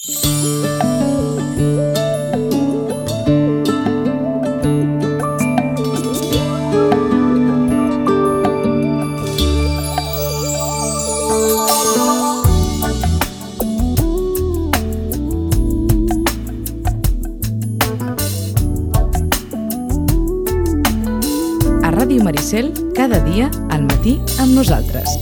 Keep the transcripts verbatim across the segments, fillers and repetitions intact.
Ràdio Maricel, cada dia al matí amb nosaltres.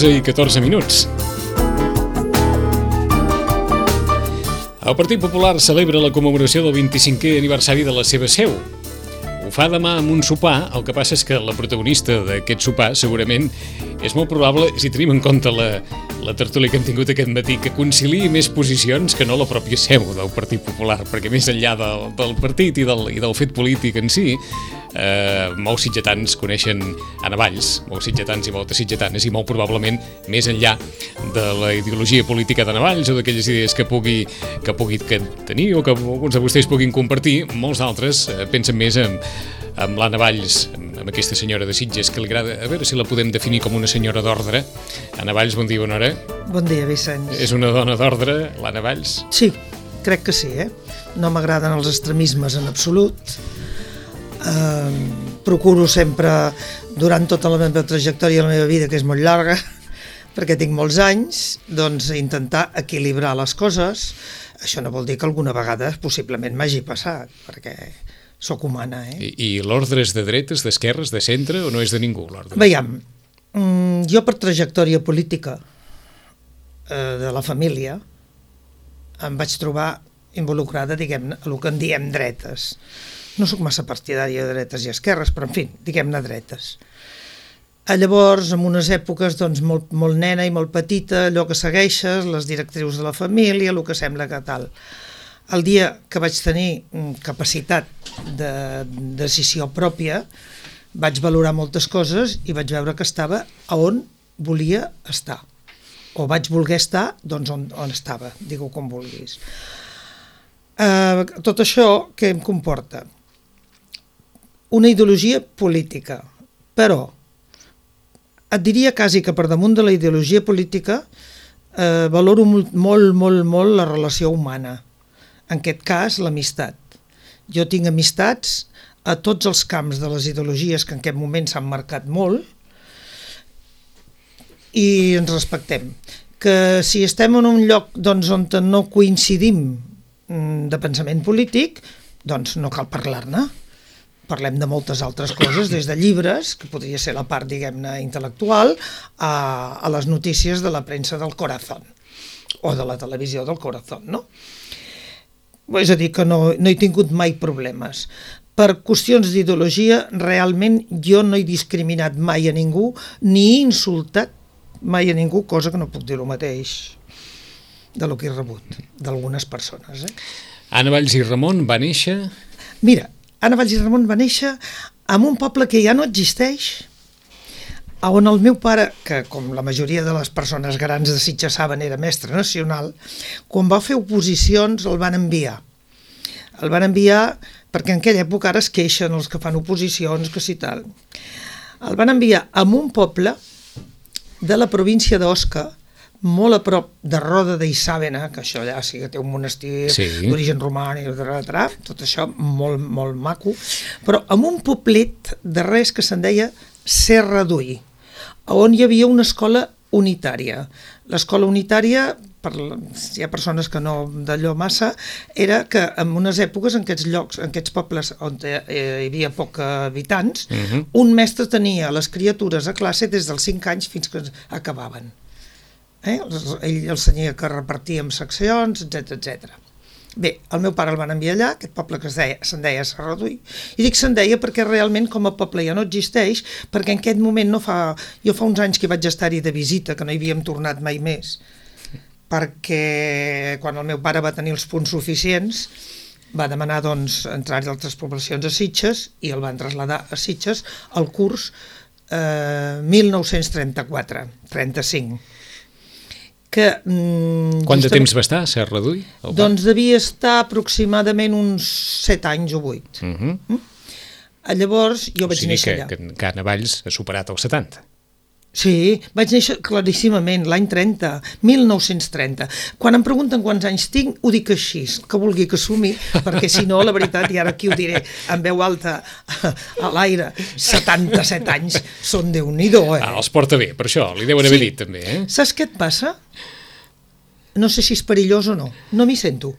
onze i catorze minuts. El Partit Popular celebra la commemoració del vint-i-cinquè aniversari de la seva seu. Ho fa demà amb un sopar, el que passa és que la protagonista d'aquest sopar segurament és molt probable, si tenim en compte la, la tertúlia que hem tingut aquest matí, que conciliï més posicions que no la pròpia seu del Partit Popular, perquè més enllà del, del partit i del, i del fet polític en si, eh, molts sitgetans coneixen Anna Valls, molts sitgetans i moltes sitgetanes, i molt probablement més enllà de la ideologia política d'Anna Valls o d'aquelles idees que pugui, que pugui que tenir o que alguns de vostès puguin compartir, molts d'altres eh, pensen més en, amb l'Anna Valls, amb aquesta senyora de Sitges, que li agrada, a veure si la podem definir com una senyora d'ordre. Anna Valls, bon dia, bona hora. Bon dia, Vicenç. És una dona d'ordre, l'Anna Valls? Sí, crec que sí, eh? No m'agraden els extremismes en absolut. Eh, procuro sempre, durant tota la meva trajectòria de la meva vida, que és molt llarga, perquè tinc molts anys, doncs intentar equilibrar les coses. Això no vol dir que alguna vegada possiblement m'hagi passat, perquè sóc humana, eh? I, i l'ordre és de dretes, d'esquerres, de centre, o no és de ningú, l'ordre? Veiem, jo per trajectòria política eh, de la família em vaig trobar involucrada, diguem-ne, a el que en diem dretes. No sóc massa partidària de dretes i esquerres, però en fi, diguem-ne dretes. A llavors, en unes èpoques doncs, molt, molt nena i molt petita, allò que segueixes, les directrius de la família, el que sembla que tal. El dia que vaig tenir capacitat de decisió pròpia, vaig valorar moltes coses i vaig veure que estava a on volia estar. O vaig voler estar, doncs on, on estava, digue-ho com vulguis. Uh, tot això què em comporta? Una ideologia política, però et diria quasi que per damunt de la ideologia política eh, valoro molt, molt, molt, molt la relació humana. En aquest cas, l'amistat. Jo tinc amistats a tots els camps de les ideologies que en aquest moment s'han marcat molt i ens respectem. Que si estem en un lloc doncs, on no coincidim de pensament polític, doncs no cal parlar-ne. Parlem de moltes altres coses, des de llibres, que podria ser la part, diguem-ne, intel·lectual, a, a les notícies de la premsa del corazón, o de la televisió del corazón, no? És a dir, que no, no he tingut mai problemes. Per qüestions d'ideologia, realment jo no he discriminat mai a ningú, ni he insultat mai a ningú, cosa que no puc dir el mateix de lo que he rebut d'algunes persones. Eh? Anna Valls i Ramon va néixer... Mira, Anna Valls i Ramon va néixer en un poble que ja no existeix, on el meu pare, que com la majoria de les persones grans de Sitges saben era mestre nacional, quan va fer oposicions el van enviar. El van enviar perquè en aquella època ara es queixen els que fan oposicions, que si tal. El van enviar a un poble de la província d'Osca, molt a prop de Roda d'Isàvena, que això allà sí que té un monestir sí. d'origen romànic, tot això molt, molt maco, però amb un poblet de res que se'n deia Serra d'Ull, on hi havia una escola unitària. L'escola unitària per, hi ha persones que no d'allò massa, era que en unes èpoques, en aquests llocs, en aquests pobles on hi havia poc habitants, uh-huh. un mestre tenia les criatures a classe des dels cinc anys fins que acabaven. Eh? Ell els tenia que repartir en seccions, etcètera, etcètera. Bé, el meu pare el van enviar allà, aquest poble que es deia, se'n deia Serradui, i dic se'n deia perquè realment com a poble ja no existeix, perquè en aquest moment no fa... Jo fa uns anys que vaig estar-hi de visita, que no hi havíem tornat mai més, perquè quan el meu pare va tenir els punts suficients va demanar doncs entrar d'altres poblacions a Sitges i el van traslladar a Sitges al curs eh, mil nou-cents trenta-quatre trenta-cinc. Que, mm, Quant de temps va estar a Serradui? Doncs devia estar aproximadament uns set anys o vuit. Uh-huh. Mm? Llavors jo vaig o sigui néixer que, allà. Que, que a Navalls ha superat els setanta. Sí, vaig néixer claríssimament, l'any trenta, mil nou-cents trenta. Quan em pregunten quants anys tinc, ho dic així, que vulgui que sumi, perquè si no, la veritat, i ara aquí ho diré en veu alta a l'aire, setanta-set anys són Déu-n'hi-do, eh? Ah, els porta bé, per això, li deuen haver Sí. dit també, eh? Saps què et passa? No sé si és perillós o no, no m'hi sento.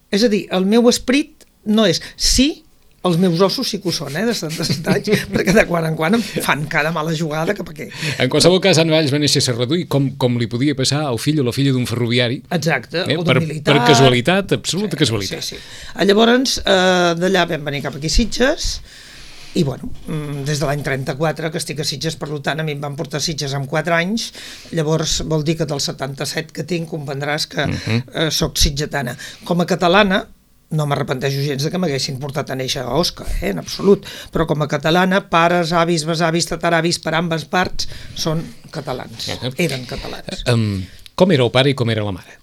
És a dir, el meu esperit no és... Sí, els meus ossos sí que ho són, eh, de setanta-set anys, perquè de quan en quan em fan cada mala jugada cap aquí. En qualsevol cas, en Valls va néixer a Serradui com, com li podia passar al fill o la filla d'un ferroviari. Exacte, eh? o per, d'un militar. per casualitat, absoluta sí, casualitat. Sí, sí. Llavors, eh, d'allà vam venir cap aquí a Sitges, i bueno, des de l'any trenta-quatre que estic a Sitges, per tant, a mi em van portar a Sitges amb quatre anys, llavors vol dir que del setanta-set que tinc comprendràs que uh-huh. eh, soc sitgetana. Com a catalana, no m'arrepenteixo gens de que m'haguessin portat a néixer a Osca, eh, en absolut, però com a catalana, pares, avis, besavis, tataravis, per ambes parts, són catalans, uh-huh. eren catalans. Um, com era el pare i com era la mare?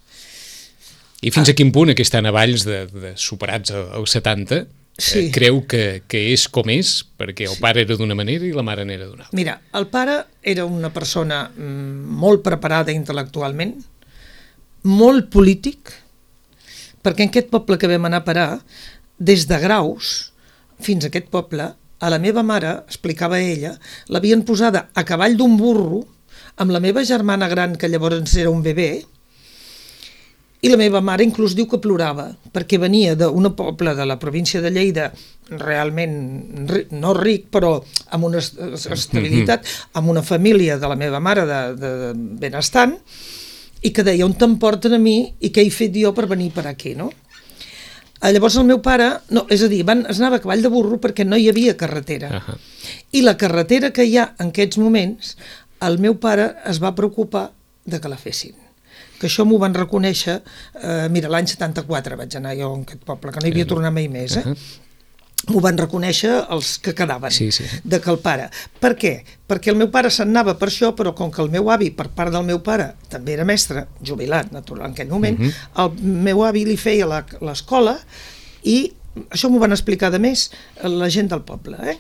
I fins ah. a quin punt aquesta Navalls de, de superats als setanta sí. eh, creu que, que és com és, perquè el sí. pare era d'una manera i la mare n'era d'una altra? Mira, el pare era una persona mm, molt preparada intel·lectualment, molt polític, perquè en aquest poble que vam anar a parar, des de Graus fins a aquest poble, a la meva mare, explicava ella, l'havien posada a cavall d'un burro amb la meva germana gran, que llavors era un bebè, i la meva mare inclús diu que plorava, perquè venia d'un poble de la província de Lleida, realment no ric, però amb una estabilitat, amb una família de la meva mare de, de benestant, i que deia, on t'emporten a mi i què he fet jo per venir per aquí, no? Llavors el meu pare, no, és a dir, van, es anava a cavall de burro perquè no hi havia carretera. Uh-huh. I la carretera que hi ha en aquests moments, el meu pare es va preocupar de que la fessin. Que això m'ho van reconèixer, eh, mira, l'any setanta-quatre vaig anar jo en aquest poble, que no hi havia tornat mai més, eh? Uh-huh. M'ho van reconèixer els que quedaven sí, sí. de que el pare. Per què? Perquè el meu pare se'n anava per això, però com que el meu avi, per part del meu pare, també era mestre, jubilat, natural, en aquell moment, uh-huh. el meu avi li feia l'escola i això m'ho van explicar de més la gent del poble. Eh?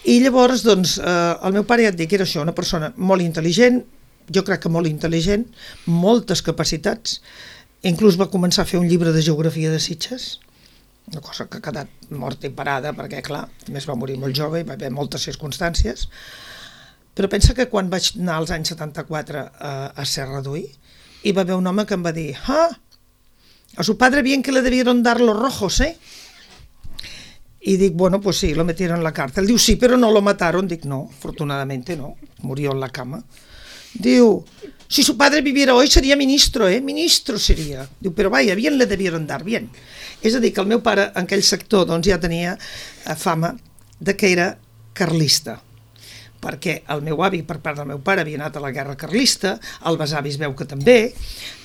I llavors, doncs, eh, el meu pare ja et dic, era això, una persona molt intel·ligent, jo crec que molt intel·ligent, moltes capacitats, inclús va començar a fer un llibre de geografia de Sitges, una cosa que ha quedat morta i parada perquè, clar, més va morir molt jove i va haver moltes circumstàncies, però pensa que quan vaig anar als anys setanta-quatre a, a Serradui hi va haver un home que em va dir ah, a su padre bien que le debieron dar los rojos, eh? Y dic, bueno, pues sí, lo metieron en la cárcel. Diu, sí, pero no lo mataron. Dic, no, afortunadamente no, murió en la cama. Diu, si su padre viviera hoy sería ministro, eh? Ministro sería. Diu, pero vaya, bien le debieron dar, bien. És a dir, que el meu pare en aquell sector doncs, ja tenia fama de que era carlista, perquè el meu avi, per part del meu pare, havia anat a la guerra carlista, el besavi es veu que també,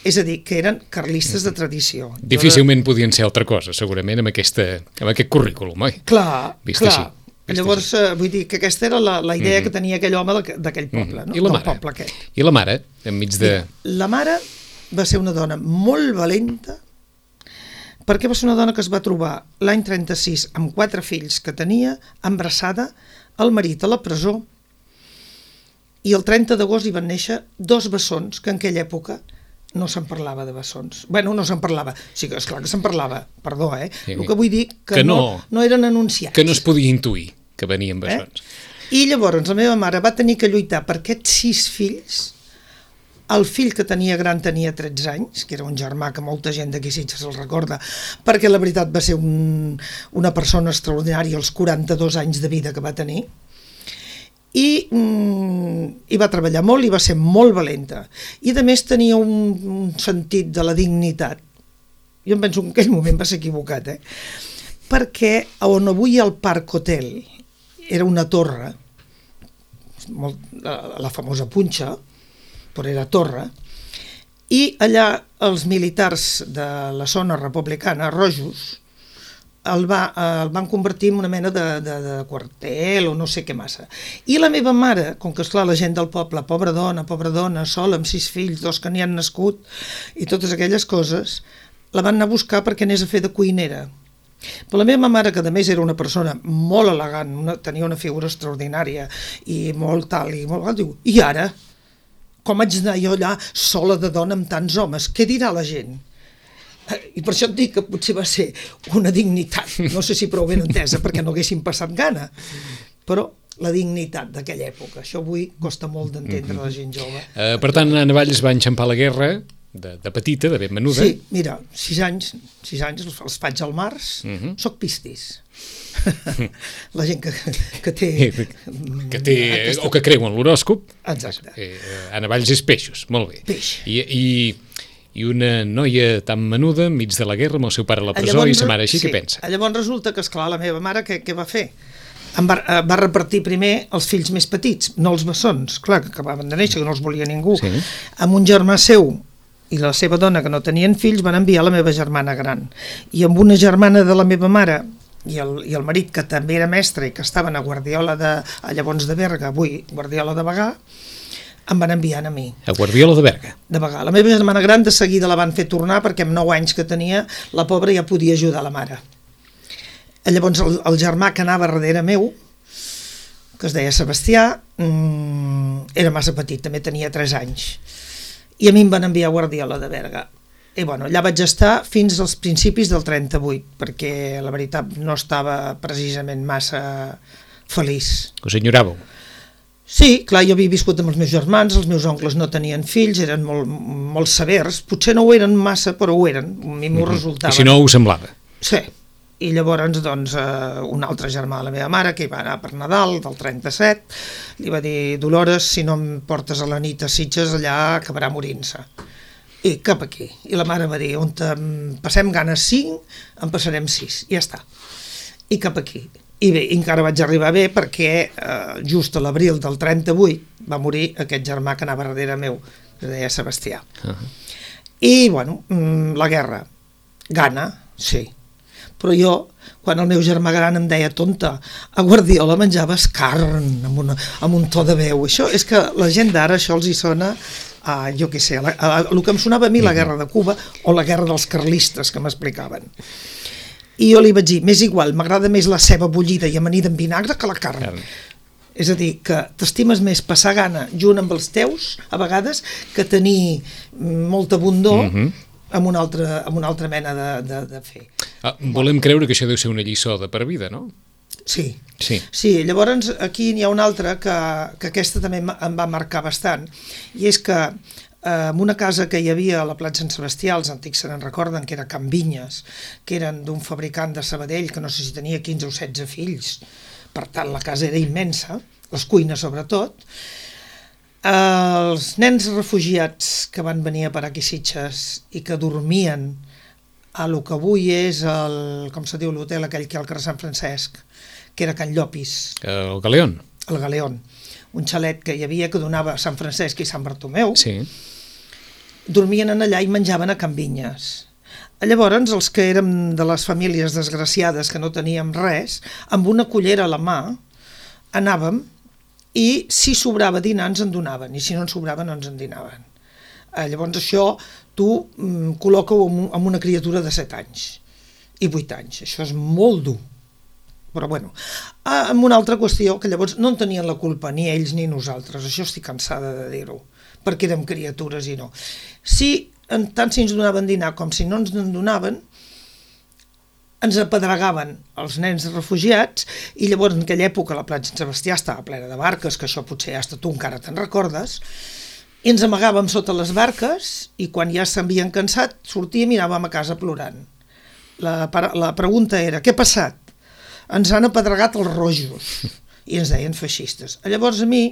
és a dir, que eren carlistes de tradició. Difícilment podien ser altra cosa, segurament, amb, aquesta, amb aquest currículum, oi? Clar, Vist clar. Així. Vist Llavors, eh, vull dir que aquesta era la, la idea mm-hmm. que tenia aquell home d'aquell poble, no? I la Del mare? poble aquest. I la mare, enmig de... La mare va ser una dona molt valenta, perquè va ser una dona que es va trobar l'any trenta-sis amb quatre fills que tenia, embarassada, el marit a la presó, i el trenta d'agost hi van néixer dos bessons, que en aquella època no se'n parlava de bessons. Bueno, no se'n parlava, sí que esclar que se'n parlava, perdó, eh? Sí, el que vull dir que, que no, no, no eren anunciats. Que no es podia intuir que venien bessons. Eh? I llavors la meva mare va tenir que lluitar per aquests sis fills El fill que tenia gran tenia tretze anys, que era un germà que molta gent d'aquí Sitges el recorda, perquè la veritat va ser un, una persona extraordinària els quaranta-dos anys de vida que va tenir, i, mm, i va treballar molt i va ser molt valenta. I a més tenia un, un sentit de la dignitat. Jo em penso que en aquell moment va ser equivocat, eh? Perquè on avui hi ha el Parc Hotel era una torre, molt, la, la famosa Punxa, però era torre, i allà els militars de la zona republicana, rojos, el, va, el van convertir en una mena de, de, de quartel o no sé què massa. I la meva mare, com que esclar la gent del poble, pobra dona, pobra dona, sola, amb sis fills, dos que n'hi han nascut, i totes aquelles coses, la van anar a buscar perquè anés a fer de cuinera. Però la meva mare, que a més era una persona molt elegant, una, tenia una figura extraordinària i molt tal, i molt tal, diu, i ara? Com haig d'anar jo allà sola de dona amb tants homes? Què dirà la gent? I per això et dic que potser va ser una dignitat, no sé si prou ben entesa, perquè no haguessin passat gana, però la dignitat d'aquella època, això avui costa molt d'entendre a la gent jove. Uh, per tant, Anna Valls va enxampar la guerra de, de petita, de ben menuda. Sí, mira, sis anys, sis anys els, els faig al març, uh -huh. Soc pistis. La gent que, que té... Que té aquesta... o que creu en l'horòscop. Exacte. Eh, Anna Valls és peixos, molt bé. Peix. I, i, i una noia tan menuda enmig de la guerra amb el seu pare a la presó llavors, i sa mare així, sí, què pensa? Llavors resulta que, esclar, la meva mare què, què va fer? Em va, va repartir primer els fills més petits, no els bessons, clar, que acabaven de néixer, que no els volia ningú. Sí. Amb un germà seu i la seva dona, que no tenien fills, van enviar la meva germana gran. I amb una germana de la meva mare i el, i el marit, que també era mestre i que estaven a Guardiola de, a llavors de Berga, avui Guardiola de Bagà, em van enviar a mi. A Guardiola de Berga? De Bagà. La meva germana gran de seguida la van fer tornar perquè amb nou anys que tenia la pobra ja podia ajudar la mare. Llavors el, el germà que anava darrere meu, que es deia Sebastià, mmm, era massa petit, també tenia tres anys. I a mi em van enviar a Guardiola de Berga. I bueno, allà vaig estar fins als principis del trenta-vuit, perquè la veritat no estava precisament massa feliç. Us enyoràveu? Sí, clar, jo havia viscut amb els meus germans, els meus oncles no tenien fills, eren molt, molt severs, potser no ho eren massa, però ho eren, a mi m'ho mm-hmm. resultava. I si no, ho semblava? Sí, i llavors doncs, eh, un altre germà de la meva mare, que hi va anar per Nadal, del trenta-set, li va dir, Dolores, si no em portes a la nit a Sitges, allà acabarà morint-se. I cap aquí. I la mare va dir, on passem ganes cinc, en passarem sis, i ja està. I cap aquí. I bé, encara vaig arribar bé perquè eh, just a l'abril del trenta-vuit va morir aquest germà que anava darrere meu, que es deia Sebastià. Uh -huh. I, bueno, la guerra. Gana, sí. Però jo, quan el meu germà gran em deia tonta, a Guardiola menjaves carn, amb, una, amb un to de veu. Això és que la gent d'ara, això els hi sona a, jo què sé, a, a, a, el que em sonava a mi la guerra de Cuba o la guerra dels carlistes que m'explicaven. I jo li vaig dir, m'és igual, m'agrada més la ceba bullida i amanida amb vinagre que la carn. carn. És a dir, que t'estimes més passar gana junt amb els teus, a vegades, que tenir molta abundor mm-hmm. amb, una altra, amb una altra mena de, de, de fer. Ah, volem creure que això deu ser una lliçó de per vida, no? Sí. Sí. Sí, llavors aquí n'hi ha una altra que, que aquesta també em va marcar bastant, i és que eh, en una casa que hi havia a la Platja Sant Sebastià, els antics se n'en recorden, que era Can Vinyes, que eren d'un fabricant de Sabadell, que no sé si tenia quinze o setze fills, per tant la casa era immensa, les cuines sobretot. Els nens refugiats que van venir a parar aquí a Sitges i que dormien a lo que avui és el, com se diu, l'hotel aquell que hi ha al carrer Sant Francesc, que era Can Llopis. El Galeón. El Galeón. Un xalet que hi havia que donava a Sant Francesc i Sant Bartomeu. Sí. Dormien en allà i menjaven a Can Vinyes. Llavors, els que érem de les famílies desgraciades que no teníem res, amb una cullera a la mà, anàvem i si sobrava dinar ens en donaven i si no en sobrava no ens en dinaven. Llavors això tu mm, col·loca-ho amb una criatura de set anys i vuit anys. Això és molt dur. Però bueno, amb una altra qüestió, que llavors no en tenien la culpa ni ells ni nosaltres, això estic cansada de dir-ho, perquè érem criatures i no. Si, tant si ens donaven dinar com si no ens en donaven, ens apedregaven els nens refugiats i llavors en aquella època la Platja Sant Sebastià estava plena de barques, que això potser hasta tu encara te'n recordes, I ens amagàvem sota les barques i quan ja s'havien cansat sortíem i anàvem a casa plorant. La, la pregunta era, què ha passat? Ens han apedregat els rojos i ens deien feixistes. Llavors a mi,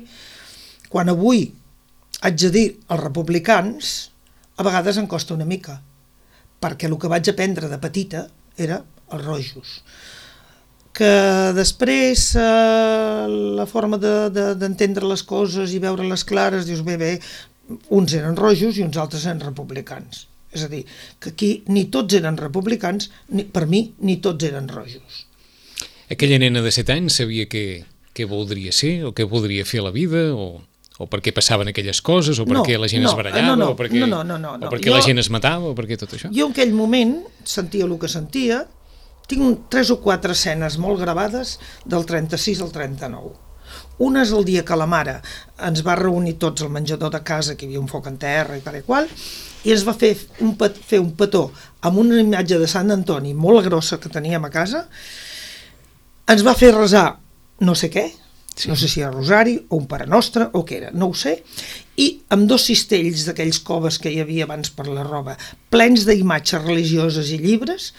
quan avui haig de dir els republicans, a vegades em costa una mica, perquè el que vaig aprendre de petita era els rojos. Que després eh, la forma d'entendre de, de, les coses i veure-les clares, dius, bé, bé, uns eren rojos i uns altres eren republicans. És a dir, que aquí ni tots eren republicans, ni, per mi, ni tots eren rojos. Aquella nena de set anys sabia què, què voldria ser o què voldria fer a la vida o, o per què passaven aquelles coses o per no, què la gent no, es barallava no, no, o per què, no, no, no, no, no. o per què jo, la gent es matava o per què tot això? Jo en aquell moment sentia el que sentia. Tinc tres o quatre escenes molt gravades del trenta-sis al trenta-nou. Una és el dia que la mare ens va reunir tots al menjador de casa, que hi havia un foc en terra i tal i qual, i ens va fer un, pet, fer un petó amb una imatge de Sant Antoni molt grossa que teníem a casa, ens va fer resar no sé què, sí. No sé si era rosari o un Pare Nostre o què era, no ho sé, i amb dos cistells d'aquells coves que hi havia abans per la roba, plens d'imatges religioses i llibres,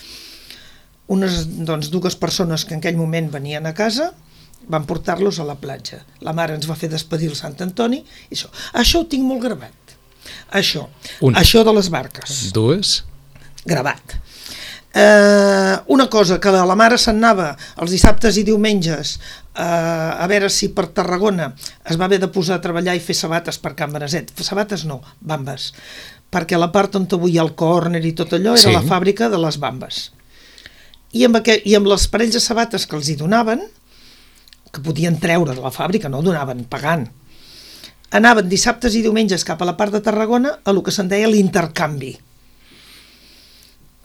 unes doncs, dues persones que en aquell moment venien a casa van portar-los a la platja. La mare ens va fer despedir el Sant Antoni i això. Això ho tinc molt gravat. Això. Un. Això de les barques. Dues. Gravat. Eh, una cosa, que la mare se'n anava els dissabtes i diumenges eh, a veure si per Tarragona es va haver de posar a treballar i fer sabates per Can Beneset. Sabates no, bambes. Perquè la part on avui hi ha el córner i tot allò era sí. La fàbrica de les bambes. I amb, aquest, i amb les parells de sabates que els hi donaven, que podien treure de la fàbrica, no donaven, pagant, anaven dissabtes i diumenges cap a la part de Tarragona a el que se'n deia l'intercanvi.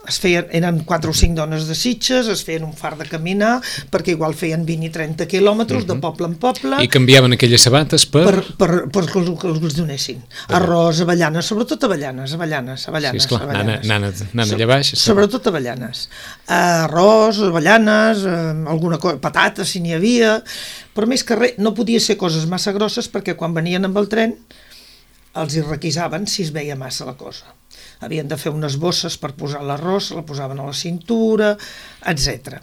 Es feien, eren quatre o cinc dones de Sitges, es feien un far de caminar, perquè igual feien vint i trenta quilòmetres uh-huh. de poble en poble. I canviaven aquelles sabates per... Per, per, per que, els, que els donessin. Arròs, avellanes, sobretot avellanes, avellanes, avellanes. Sí, esclar, avellanes. Nana, nana, nana allà baix. So, sobretot avellanes. Arròs, avellanes, eh, alguna cosa, patates, si n'hi havia, però més que res, no podia ser coses massa grosses perquè quan venien amb el tren els hi requisaven si es veia massa la cosa. Havien de fer unes bosses per posar l'arròs, la posaven a la cintura, etcètera.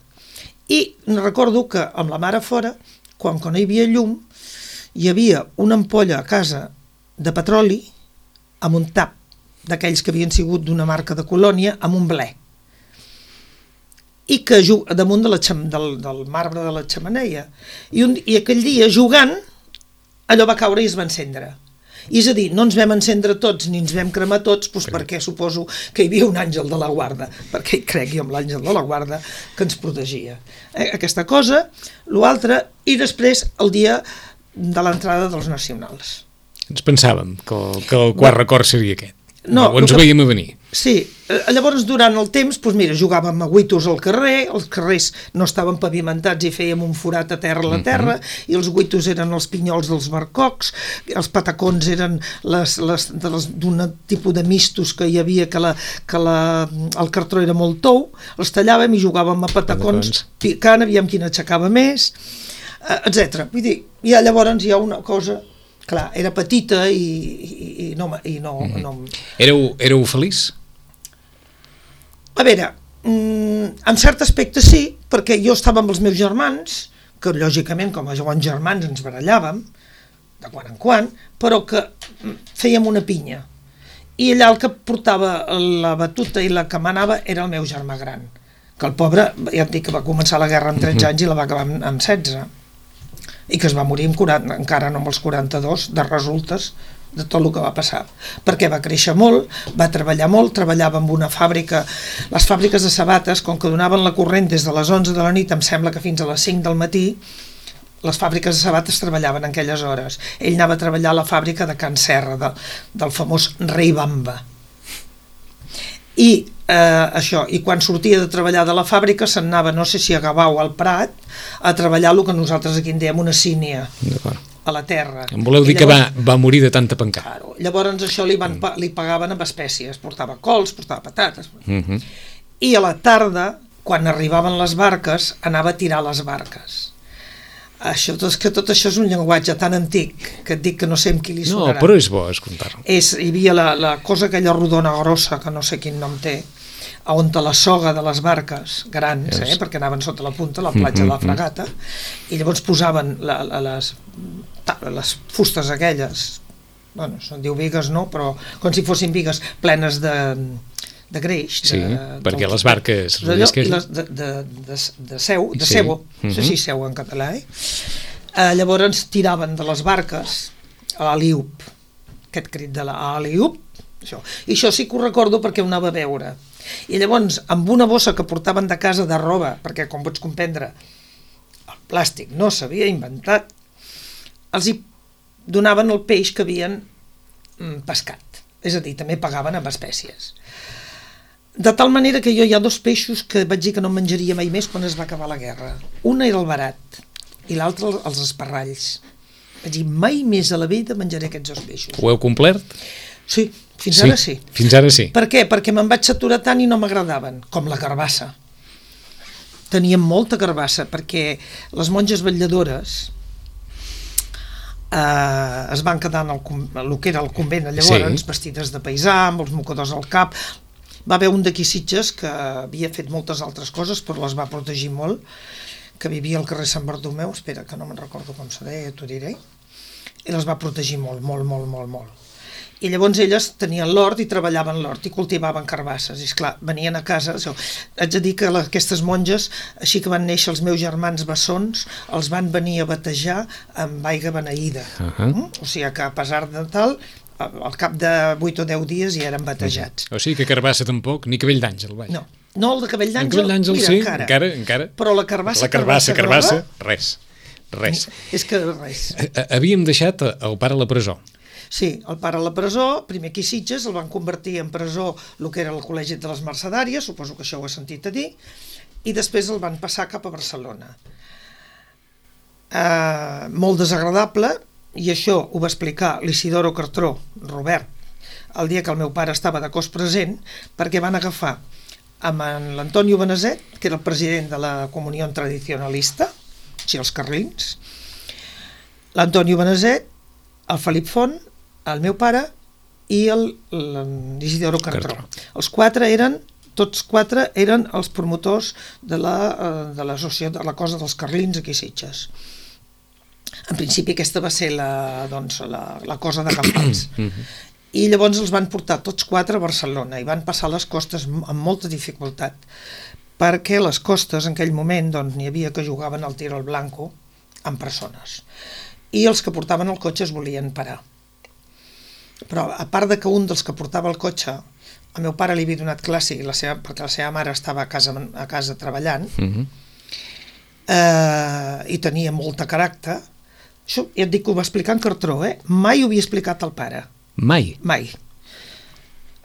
I recordo que amb la mare fora, quan, quan no hi havia llum, hi havia una ampolla a casa de petroli amb un tap d'aquells que havien sigut d'una marca de colònia amb un ble. I que damunt de la, del, del marbre de la xemeneia. I, un, I aquell dia, jugant, allò va caure i es va encendre. I és a dir, no ens vam encendre tots ni ens vam cremar tots, doncs perquè suposo que hi havia un àngel de la guarda, perquè hi crec jo amb l'àngel de la guarda que ens protegia. Eh, aquesta cosa, l'altre, i després el dia de l'entrada dels nacionals. Ens pensàvem que el, que el quart no. record seria aquest. No, o ens ho que, veiem a venir. Sí, llavors durant el temps, doncs mira, jugàvem a guitos al carrer, els carrers no estaven pavimentats i fèiem un forat a terra a la terra, uh-huh. i els guitos eren els pinyols dels barcocs, els patacons eren les, les, les, d'un tipus de mistos que hi havia, que, la, que la, el cartró era molt tou, els tallàvem i jugàvem a patacons, patacons. picant, aviam quin aixecava més, etcètera. Vull dir, ja llavors hi ha una cosa... Clar, era petita i, i, i no... I no, mm-hmm. no... Éreu, éreu feliç? A veure, mm, en cert aspecte sí, perquè jo estava amb els meus germans, que lògicament com a bons germans ens barallàvem, de quan en quan, però que fèiem una pinya. I allà el que portava la batuta i la que manava era el meu germà gran, que el pobre, ja et dic que va començar la guerra amb tretze anys i la va acabar amb, amb setze. I que es va morir amb quaranta, encara no amb els quaranta-dos, de resultes de tot el que va passar. Perquè va créixer molt, va treballar molt, treballava en una fàbrica, les fàbriques de sabates, com que donaven la corrent des de les onze de la nit, em sembla que fins a les cinc del matí, les fàbriques de sabates treballaven en aquelles hores. Ell anava a treballar a la fàbrica de Can Serra, de, del famós Rei Bamba. I eh, això, i quan sortia de treballar de la fàbrica se'n anava, no sé si a Gavà o al Prat, a treballar el que nosaltres aquí en dèiem una sínia, a la terra. Em voleu dir llavors, que va, va morir de tanta pencar? Claro, llavors això li, van, mm. li pagaven amb espècies, portava cols, portava patates. Mm-hmm. I a la tarda, quan arribaven les barques, anava a tirar les barques. Això, és que tot això és un llenguatge tan antic que et dic que no sé amb qui li sonarà. No, però és bo escoltar-ho. És, hi havia la, la cosa aquella rodona grossa, que no sé quin nom té, on te la soga de les barques grans, yes. eh, perquè anaven sota la punta, la platja mm -hmm. de la Fragata, i llavors posaven la, la, les, les fustes aquelles, bueno, se'n diu bigues, no?, però com si fossin bigues plenes de... de greix, sí, de, perquè del, les barques d'allò, i les de, de, de, de seu, de sí. cebo, uh-huh. no sé si seu en català, eh? eh? Llavors tiraven de les barques a l'aliup, aquest crit de l'aliup, això. I això sí que ho recordo perquè ho anava a veure. I llavors, amb una bossa que portaven de casa de roba, perquè com pots comprendre, el plàstic no s'havia inventat, els hi donaven el peix que havien mm, pescat. És a dir, també pagaven amb espècies. De tal manera que jo hi ha dos peixos que vaig dir que no menjaria mai més quan es va acabar la guerra. Un era el barat i l'altre els esparralls. Vaig dir, mai més a la vida menjaré aquests dos peixos. Ho heu complert? Sí, fins sí, ara sí. Fins ara sí. Per què? Perquè me'n vaig saturar tant i no m'agradaven, com la carbassa. Teníem molta carbassa, perquè les monges vetlladores eh, es van quedar en el, el que era el convent llavors, sí. vestides de paisà, amb els mocadors al cap. Va haver un d'aquí Sitges que havia fet moltes altres coses, però les va protegir molt, que vivia al carrer Sant Bartomeu, espera, que no me'n recordo com se deia, t'ho diré, i les va protegir molt, molt, molt, molt, molt. I llavors elles tenien l'hort i treballaven l'hort i cultivaven carbasses, i esclar, venien a casa, això, haig de dir que la, aquestes monges, així que van néixer els meus germans bessons, els van venir a batejar amb aigua beneïda, uh-huh. mm? O sigui que a pesar de tal, al cap de vuit o deu dies ja eren batejats. O sigui que carbassa tampoc, ni cabell d'àngel, vaja. No, no el de cabell d'àngel, cabell d'àngel mira, sí, encara. encara, encara. Però la carbassa, la carbassa, carbassa, carbassa res, res. És que res. Havíem deixat el pare a la presó. Sí, el pare a la presó, primer aquí Sitges, el van convertir en presó el que era el Col·legi de les Mercedàries, suposo que això ho he sentit a dir, i després el van passar cap a Barcelona. Uh, molt desagradable, i això ho va explicar l'Isidoro Cartró, Robert, el dia que el meu pare estava de cos present, perquè van agafar amb l'Antonio Beneset, que era el president de la Comunió Tradicionalista, o sigui, els carlins, l'Antonio Beneset, el Felip Font, el meu pare i l'Isidoro Cartró. Els quatre eren, tots quatre eren els promotors de la, de l'associació, de la cosa dels carlins aquí a Sitges. En principi aquesta va ser la, doncs, la, la cosa de Campals. I llavors els van portar tots quatre a Barcelona i van passar les costes amb molta dificultat, perquè les costes en aquell moment doncs, n'hi havia que jugaven al tiro al blanco amb persones. I els que portaven el cotxe es volien parar. Però a part de que un dels que portava el cotxe, el meu pare li havia donat classe la seva, perquè la seva mare estava a casa, a casa treballant, uh-huh. eh, i tenia molta caràcter. Això ja et dic que ho va explicar en Cartró, eh? Mai ho havia explicat al pare. Mai? Mai.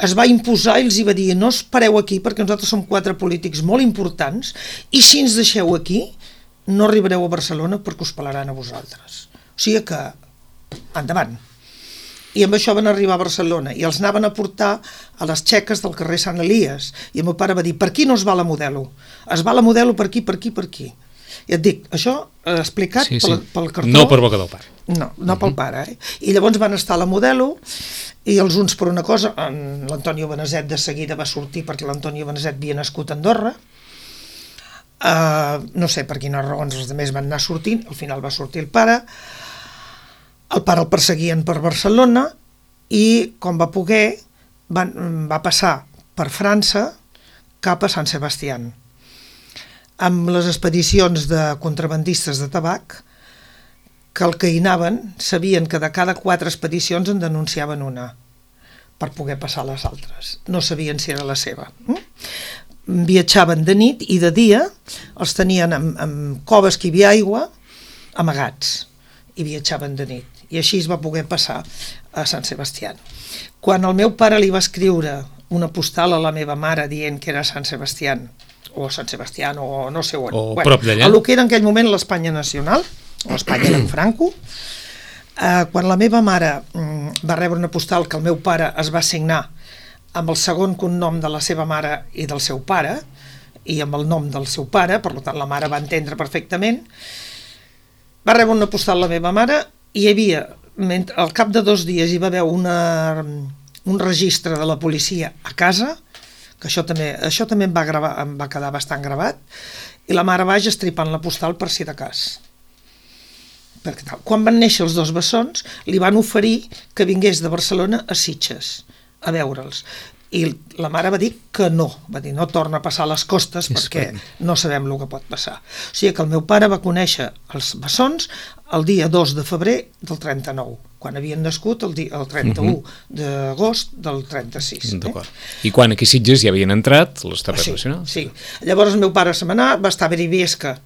Es va imposar i els hi va dir, no us pareu aquí perquè nosaltres som quatre polítics molt importants i si ens deixeu aquí no arribareu a Barcelona perquè us pelaran a vosaltres. O sigui que, endavant. I amb això van arribar a Barcelona i els anaven a portar a les txeques del carrer Sant Elies. I el meu pare va dir, per aquí no es va la Modelo. Es va la Modelo per aquí, per aquí, per aquí. I et dic, això eh, explicat sí, sí. Pel, pel Cartró. No per boca del pare. No, no uh-huh. pel pare. Eh? I llavors van estar a la Modelo i els uns per una cosa, l'Antonio Beneset de seguida va sortir perquè l'Antonio Beneset havia nascut a Andorra. Uh, no sé per quines raons els altres van anar sortint, al final va sortir el pare. El pare el perseguien per Barcelona i, com va poder, van, va passar per França cap a Sant Sebastián. Amb les expedicions de contrabandistes de tabac, que el que hi anaven sabien que de cada quatre expedicions en denunciaven una, per poder passar les altres. No sabien si era la seva. Viatjaven de nit i de dia els tenien en, en coves que hi havia aigua, amagats, i viatjaven de nit. I així es va poder passar a Sant Sebastián. Quan el meu pare li va escriure una postal a la meva mare dient que era Sant Sebastián, o Sant Sebastián, o no sé on, o bueno, prop d'allà, el que era en aquell moment l'Espanya nacional, o Espanya d'en Franco, eh, quan la meva mare mm, va rebre una postal que el meu pare es va signar amb el segon cognom de la seva mare i del seu pare, i amb el nom del seu pare, per tant la mare va entendre perfectament, va rebre una postal la meva mare i hi havia, al cap de dos dies hi va haver una, un registre de la policia a casa, que això també, això també em va, gravar, em va quedar bastant gravat, i la mare vaig estripant la postal per si de cas. Perquè tal, quan van néixer els dos bessons, li van oferir que vingués de Barcelona a Sitges a veure'ls. I la mare va dir que no, va dir no torna a passar a les costes perquè no sabem el que pot passar. O sigui que el meu pare va conèixer els bessons el dia dos de febrer del trenta-nou, quan havien nascut el, dia, el trenta-u d'agost del trenta-sis. D'acord. Eh? I quan aquí a Sitges ja havien entrat les terres sí, nacionals? Sí, llavors el meu pare se m'anà, va estar a Beribiesca,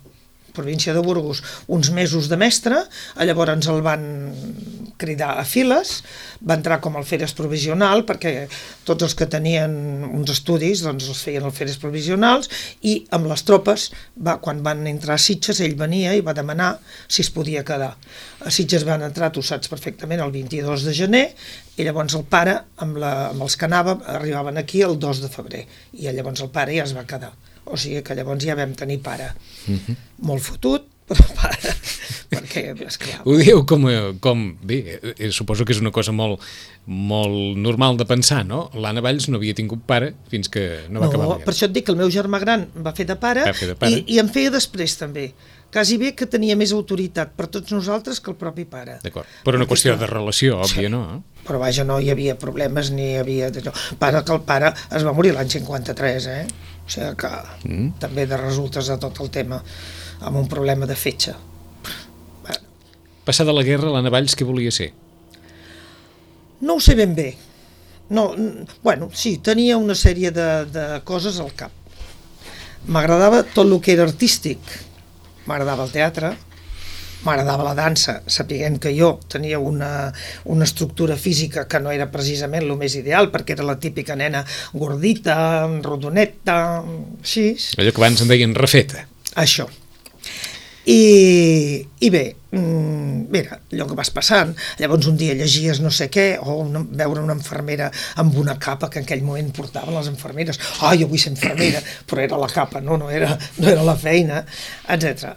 província de Burgos, uns mesos de mestre, llavors el van cridar a files, va entrar com a alferes provisional, perquè tots els que tenien uns estudis doncs els feien alferes provisionals, i amb les tropes, va, quan van entrar a Sitges, ell venia i va demanar si es podia quedar. A Sitges van entrar, tu saps perfectament, el vint-i-dos de gener, i llavors el pare, amb, la, amb els que anava, arribaven aquí el dos de febrer, i llavors el pare ja es va quedar. O sigui que llavors ja vam tenir pare. Uh-huh. Molt fotut, però pare, perquè, esclar... Ho dieu com, com... Bé, eh, suposo que és una cosa molt, molt normal de pensar, no? L'Anna Valls no havia tingut pare fins que no va no, acabar la guerra. Per això et dic que el meu germà gran va fer de pare, fer de pare. I, i em feia després també. Quasi bé que tenia més autoritat per tots nosaltres que el propi pare. D'acord, però una qüestió de relació, òbvia, sí. No? Però vaja, no hi havia problemes, ni hi havia... Pare, que el pare es va morir l'any cinquanta-tres, eh? O sigui que mm. també de resultes de tot el tema, amb un problema de fetge. Bueno. Passada la guerra, l'Anna Valls què volia ser? No ho sé ben bé. No, bueno, sí, tenia una sèrie de, de coses al cap. M'agradava tot el que era artístic. M'agradava el teatre, m'agradava la dansa, sapiguent que jo tenia una, una estructura física que no era precisament el més ideal, perquè era la típica nena gordita, rodoneta, així. Allò que abans en deien refeta. Això. I, i bé, mira, allò que vas passant, llavors un dia llegies no sé què, o una, veure una infermera amb una capa que en aquell moment portaven les infermeres, ah, jo vull ser infermera, però era la capa, no, no era, no era la feina, etcètera.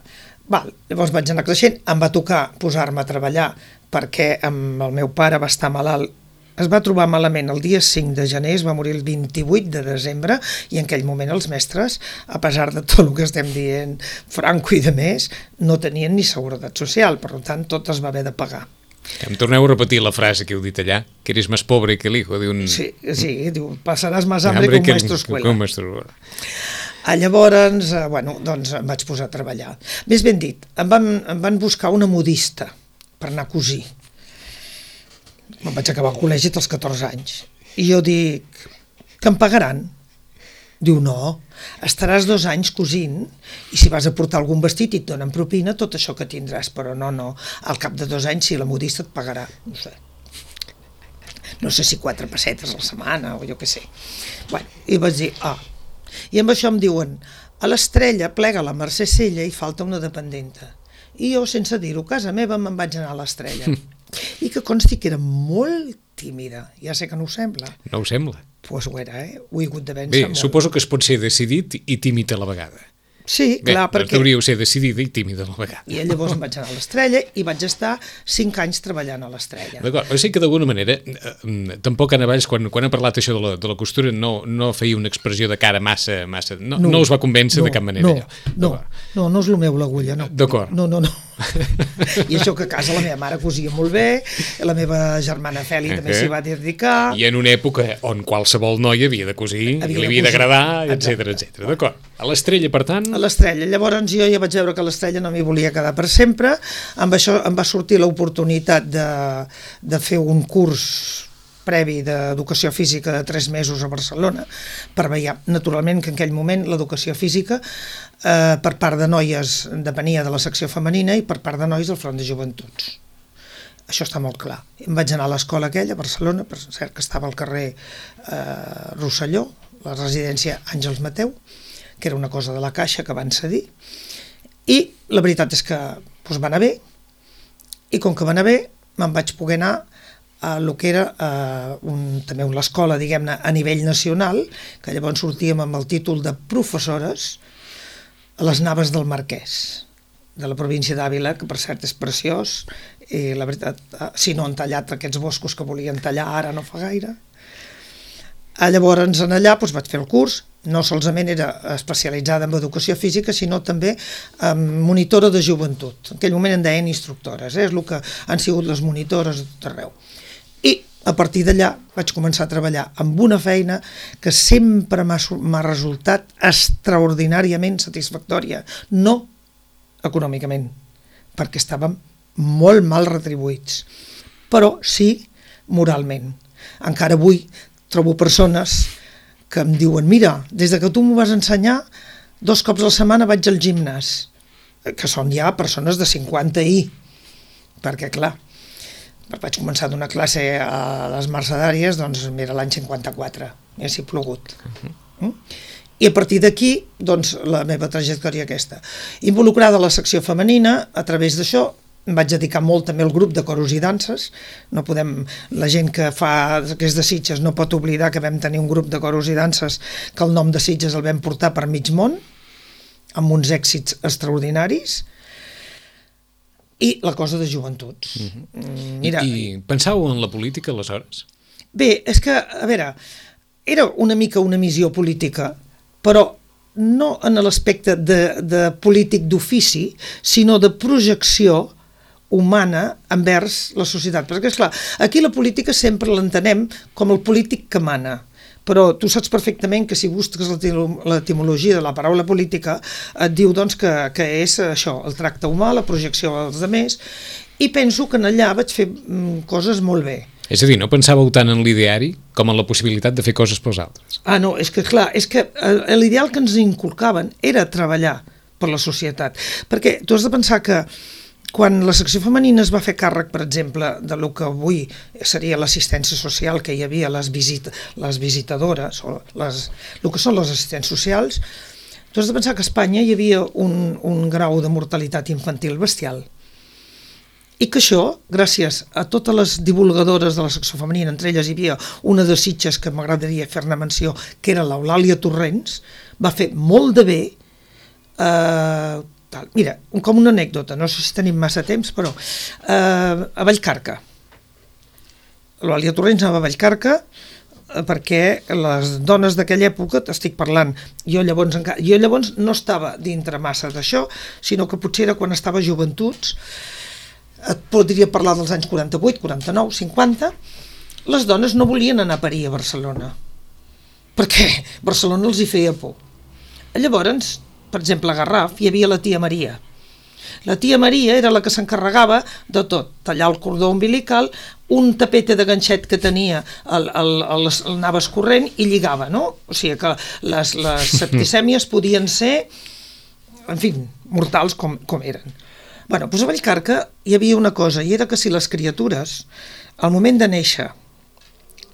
Val, llavors vaig anar creixent, em va tocar posar-me a treballar perquè amb el meu pare va estar malalt. Es va trobar malament el dia cinc de gener, es va morir el vint-i-vuit de desembre, i en aquell moment els mestres, a pesar de tot el que estem dient, Franco i de més, no tenien ni seguretat social, per tant tot es va haver de pagar. Em torneu a repetir la frase que heu dit allà, que eres més pobre que el hijo de un... Sí, sí, diu, passaràs més hambre que un maestro escuela. Que un maestro... Ah, llavors, eh, bueno, doncs em vaig posar a treballar. Més ben dit, em van, em van buscar una modista per anar a cosir. Me'n vaig acabar al col·legi als catorze anys. I jo dic, que em pagaran? Diu, no, estaràs dos anys cosint i si vas a portar algun vestit i et donen propina, tot això que tindràs, però no, no, al cap de dos anys sí, la modista et pagarà, no sé. No sé si quatre pessetes a la setmana o jo què sé. Bueno, i vaig dir, ah, i amb això em diuen, a l'Estrella plega la Mercè Sella i falta una dependenta. I jo, sense dir-ho, a casa meva me'n vaig anar a l'Estrella. I que consti que era molt tímida. Ja sé que no ho sembla. No ho sembla. Doncs pues ho era, eh? Ho he hagut de vèncer molt. Bé, suposo que es pot ser decidit i tímid a la vegada. Sí, Bé, clar, perquè... Bé, hauríeu ser decidida i tímida a la vegada. I llavors em vaig anar a l'Estrella i vaig estar cinc anys treballant a l'Estrella. D'acord, o sigui que d'alguna manera, eh, tampoc Anna Valls, quan, quan ha parlat això de la, de la costura, no, no feia una expressió de cara massa... massa no, no, no us va convèncer no, de cap manera, no, allò. No, no, no és el meu l'agulla, no. D'acord. No, no, no. I això que a casa la meva mare cosia molt bé, la meva germana Feli uh -huh. també s'hi va dedicar... I en una època on qualsevol noia havia de cosir, havia i li havia d'agradar, etcètera, etcètera. D'acord. A l'Estrella, per tant... A l'Estrella. Llavors jo ja vaig veure que l'Estrella no m'hi volia quedar per sempre. Amb això em va sortir l'oportunitat de, de fer un curs previ d'educació física de tres mesos a Barcelona, per veure, naturalment, que en aquell moment l'educació física eh, per part de noies depenia de la secció femenina i per part de nois del Front de Joventuts. Això està molt clar. Em vaig anar a l'escola aquella, a Barcelona, per cert que estava al carrer eh, Rosselló, la residència Àngels Mateu, que era una cosa de la Caixa que van cedir, i la veritat és que doncs, va anar bé, i com que va anar bé, me'n vaig poder anar a el que era eh, un, també l'escola, diguem-ne, a nivell nacional, que llavors sortíem amb el títol de professores a les Naves del Marquès. de la província d'Àvila, que per cert és preciós, i la veritat, si no han tallat aquests boscos que volien tallar ara no fa gaire. Llavors, en allà doncs, vaig fer el curs, no solament era especialitzada en educació física, sinó també en monitora de joventut. En aquell moment en deien instructores, eh? És el que han sigut les monitores de tot arreu. I a partir d'allà vaig començar a treballar amb una feina que sempre m'ha resultat extraordinàriament satisfactòria, no econòmicament, perquè estàvem molt mal retribuïts, però sí moralment. Encara avui trobo persones que em diuen, mira, des que tu m'ho vas ensenyar, dos cops a la setmana vaig al gimnàs, que són ja persones de cinquanta i, perquè clar, vaig començar a donar classe a les mercedàries, doncs era l'any cinquanta-quatre, ja s'hi ha plogut. Uh-huh. I a partir d'aquí, doncs, la meva trajectòria aquesta. Involucrada a la secció femenina, a través d'això, em vaig dedicar molt també al grup de coros i danses. No podem, la gent que fa que és de Sitges no pot oblidar que vam tenir un grup de coros i danses que el nom de Sitges el vam portar per mig món, amb uns èxits extraordinaris, i la cosa de joventuts. Uh-huh. Mira, I, I pensàveu en la política aleshores? Bé, és que, a veure, era una mica una missió política, però no en l'aspecte de, de polític d'ofici, sinó de projecció humana envers la societat. Perquè, esclar, aquí la política sempre l'entenem com el polític que mana, però tu saps perfectament que si busques l'etimologia de la paraula política et diu doncs, que, que és això, el tracte humà, la projecció als altres, i penso que en allà vaig fer coses molt bé. És a dir, no pensàveu tant en l'ideari com en la possibilitat de fer coses pels altres? Ah, no, és que clar, és que l'ideal que ens inculcaven era treballar per la societat, perquè tu has de pensar que quan la secció femenina es va fer càrrec, per exemple, de lo que avui seria l'assistència social que hi havia, les, visit les visitadores, o les, el que són les assistents socials, tu has de pensar que a Espanya hi havia un, un grau de mortalitat infantil bestial. I que això, gràcies a totes les divulgadores de la secció femenina, entre elles hi havia una de Sitges que m'agradaria fer-ne menció, que era l'Eulàlia Torrents, va fer molt de bé. Eh, tal. Mira, com una anècdota, no sé si tenim massa temps, però eh, a Vallcarca. L'Eulàlia Torrents anava a Vallcarca eh, perquè les dones d'aquella època, t'estic parlant, jo llavors, jo llavors no estava dintre massa d'això, sinó que potser era quan estava a Joventuts, et podria parlar dels anys quaranta-vuit, quaranta-nou, cinquanta, les dones no volien anar a parir a Barcelona, perquè Barcelona els hi feia por. Llavors, per exemple, a Garraf hi havia la tia Maria. La tia Maria era la que s'encarregava de tot, tallar el cordó umbilical, un tapete de ganxet que tenia el, el, el, el anava escorrent i lligava, no? O sigui que les, les septicèmies podien ser, en fi, mortals com, com eren. Bueno, doncs a Vallcarca hi havia una cosa, i era que si les criatures, al moment de néixer,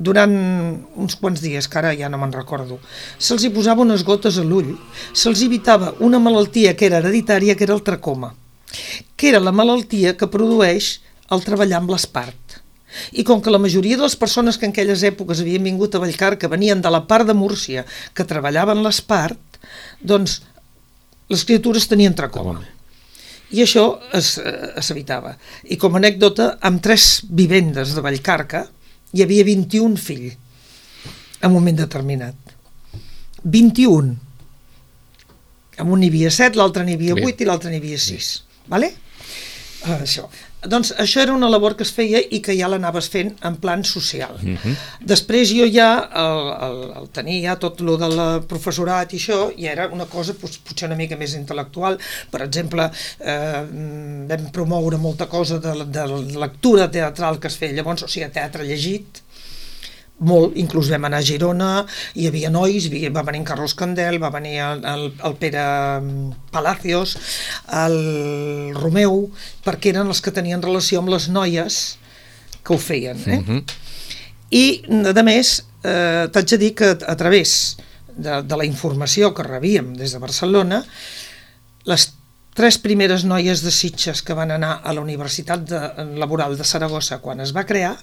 durant uns quants dies, que ara ja no me'n recordo, se'ls hi posava unes gotes a l'ull, se'ls evitava una malaltia que era hereditària, que era el tracoma, que era la malaltia que produeix el treballar amb l'espart. I com que la majoria de les persones que en aquelles èpoques havien vingut a Vallcarca venien de la part de Múrcia que treballaven l'espart, doncs les criatures tenien tracoma. I això s'evitava. I com a anècdota, amb tres vivendes de Vallcarca hi havia vint-i-un fills en un moment determinat. vint-i-un. En un n'hi havia set, l'altre n'hi havia vuit i l'altre n'hi havia sis. Vale? Uh, això. Doncs això era una labor que es feia i que ja l'anaves fent en plan social. Uh-huh. Després jo ja el, el, el tenia ja tot el del professorat i això, i era una cosa potser una mica més intel·lectual. Per exemple, eh, vam promoure molta cosa de, de lectura teatral que es feia llavors, o sigui, teatre llegit, molt, inclús vam anar a Girona, hi havia nois, va venir en Carlos Candel, va venir el, el, el Pere Palacios, el Romeu, perquè eren els que tenien relació amb les noies que ho feien. Eh? Uh-huh. I, a més, eh, t'haig de dir que a través de, de la informació que rebíem des de Barcelona, les tres primeres noies de Sitges que van anar a la Universitat de, Laboral de Saragossa quan es va crear,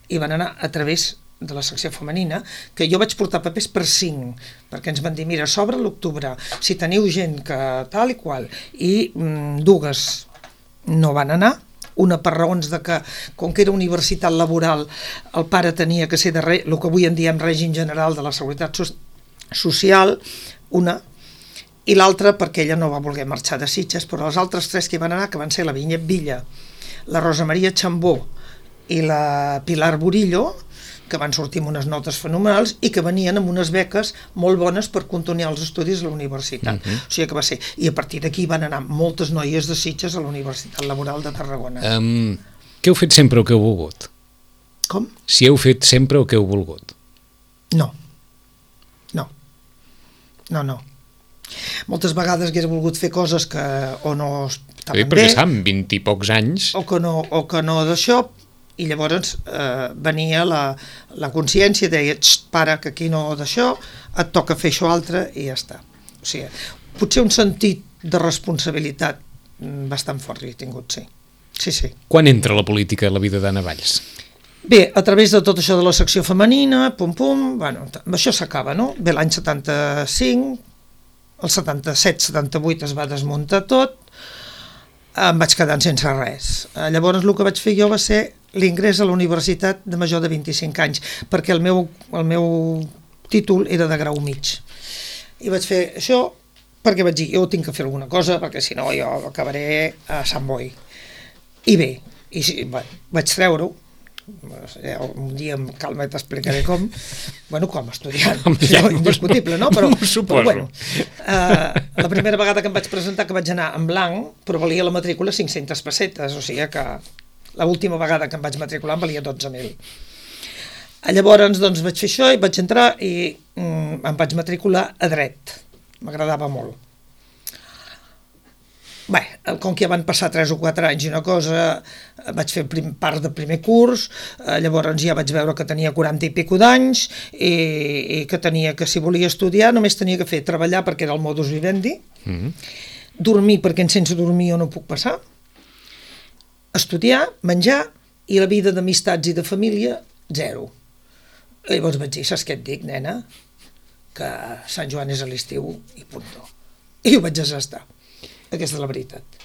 i van anar a través de la secció femenina, que jo vaig portar papers per cinc, perquè ens van dir, mira, s'obre l'octubre, si teniu gent que tal i qual, i mm, dues no van anar, una per raons de que, com que era universitat laboral, el pare tenia que ser de re, el que avui en diem règim general de la seguretat so social, una, i l'altra perquè ella no va voler marxar de Sitges, però les altres tres que hi van anar, que van ser la Vinyet Villa, la Rosa Maria Chambó i la Pilar Burillo, que van sortir amb unes notes fenomenals i que venien amb unes beques molt bones per continuar els estudis a la universitat. Uh-huh. O sigui que va ser... I a partir d'aquí van anar moltes noies de Sitges a la Universitat Laboral de Tarragona. Um, què heu fet sempre o que heu volgut? Com? Si heu fet sempre o que heu volgut? No. No. No, no. Moltes vegades hagués volgut fer coses que o no estaven bé, perquè bé, estan vint i pocs anys. O que no, o que no d'això, i llavors eh, venia la, la consciència, deia, para, que aquí no d'això, et toca fer això altre i ja està. O sigui, potser un sentit de responsabilitat bastant fort he tingut, sí. Sí, sí. Quan entra la política a la vida d'Anna Valls? Bé, a través de tot això de la secció femenina, pum, pum, bueno, això s'acaba, no? Bé, l'any setanta-cinc, el setanta-set setanta-vuit es va desmuntar tot, em vaig quedar sense res. Llavors el que vaig fer jo va ser l'ingrés a la universitat de major de vint-i-cinc anys, perquè el meu, el meu títol era de grau mig. I vaig fer això perquè vaig dir, jo tinc que fer alguna cosa, perquè si no jo acabaré a Sant Boi. I bé, i sí, bueno, vaig treure-ho, un dia amb calma t'explicaré com, bueno, com estudiant, ja, indiscutible, no? Però, però bueno, eh, la primera vegada que em vaig presentar, que vaig anar en blanc, però valia la matrícula cinc-centes pessetes, o sigui que l'última vegada que em vaig matricular em valia dotze mil. Llavors, doncs, vaig fer això i vaig entrar i mm, em vaig matricular a dret. M'agradava molt. Bé, com que ja van passar tres o quatre anys i una cosa, vaig fer prim, part del primer curs, eh, llavors ja vaig veure que tenia quaranta i pico d'anys i, i que tenia que, si volia estudiar, només tenia que fer treballar perquè era el modus vivendi, mm-hmm. dormir perquè sense dormir jo no puc passar, estudiar, menjar i la vida d'amistats i de família, zero. I llavors vaig dir, saps què et dic, nena? Que Sant Joan és a l'estiu i punto. I ho vaig asestar. Aquesta és la veritat.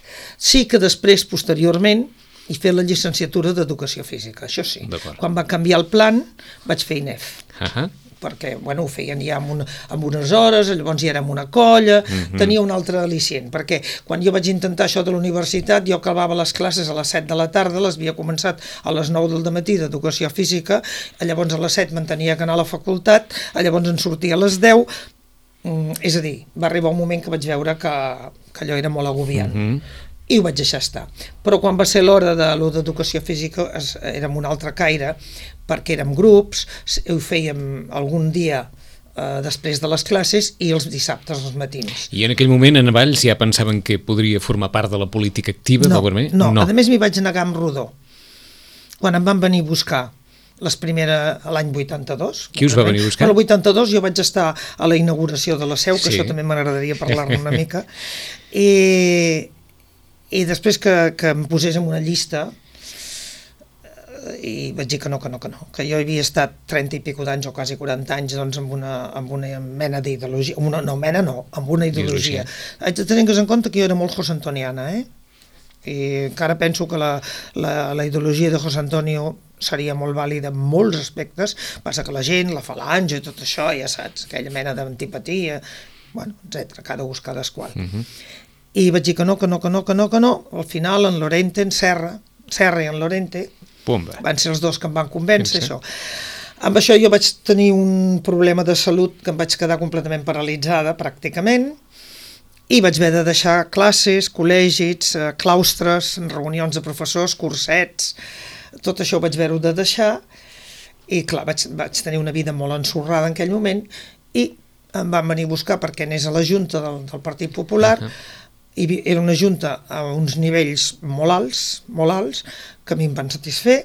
Sí que després, posteriorment, he fet la llicenciatura d'Educació Física, això sí. Quan va canviar el plan, vaig fer I N E F. Uh-huh. Perquè, bueno, ho feien ja amb, una, amb unes hores, llavors ja era amb una colla, uh-huh. Tenia un altre al·licient, perquè quan jo vaig intentar això de la universitat, jo acabava les classes a les set de la tarda, les havia començat a les nou del matí d'Educació Física, llavors a les set me'n tenia que anar a la facultat, llavors en sortia a les deu, és a dir, va arribar un moment que vaig veure que, que allò era molt agobiant. Uh-huh. I ho vaig deixar estar. Però quan va ser l'hora de l'O d'Educació Física es, érem un altre caire, perquè érem grups, ho fèiem algun dia eh, després de les classes i els dissabtes als matins. I en aquell moment en Valls ja pensaven que podria formar part de la política activa? No, no, no. A més m'hi vaig negar amb rodó. Quan em van venir a buscar les primeres a l'any vuitanta-dos. Qui us va venir a buscar? A l'any vuitanta-dos jo vaig estar a la inauguració de la seu, que sí. Això també m'agradaria parlar-ne una mica, i, i després que, que em posés en una llista i vaig dir que no, que no, que no, que jo havia estat trenta i pico d'anys o quasi quaranta anys doncs amb una, amb una mena d'ideologia, una, no mena no, amb una ideologia. Haig de tenir en compte que jo era molt josantoniana, eh? I encara penso que la, la, la ideologia de José Antonio seria molt vàlida en molts aspectes, passa que la gent, la falange i tot això, ja saps, aquella mena d'antipatia, bueno, etcètera, cada ús, cadasqual. Uh-huh. I vaig dir que no, que no, que no, que no, que no, al final en Lorente, en Serra, Serra i en Lorente, Pumba. Van ser els dos que em van convèncer, això. Amb això jo vaig tenir un problema de salut que em vaig quedar completament paralitzada, pràcticament, i vaig haver de deixar classes, col·legis, claustres, reunions de professors, cursets, tot això ho vaig haver-ho de deixar, i clar, vaig, vaig tenir una vida molt ensorrada en aquell moment, i em van venir a buscar perquè anés a la Junta del, del Partit Popular, uh-huh. I era una junta a uns nivells molt alts, molt alts, que a mi em van satisfer,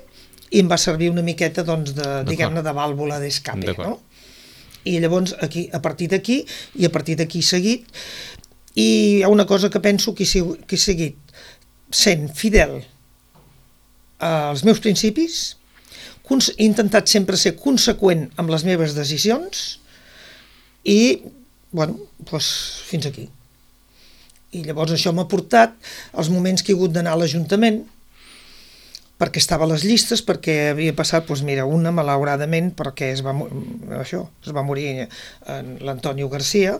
i em va servir una miqueta, doncs, de, diguem-ne, de vàlvula d'escape, no? I llavors, aquí, a partir d'aquí, i a partir d'aquí seguit, i hi ha una cosa que penso que he, que he seguit sent fidel als meus principis, he intentat sempre ser conseqüent amb les meves decisions i, bueno, doncs fins aquí. I llavors això m'ha portat als moments que he hagut d'anar a l'Ajuntament, perquè estava a les llistes, perquè havia passat, doncs mira, una malauradament, perquè es va, això, es va morir l'Antonio Garcia,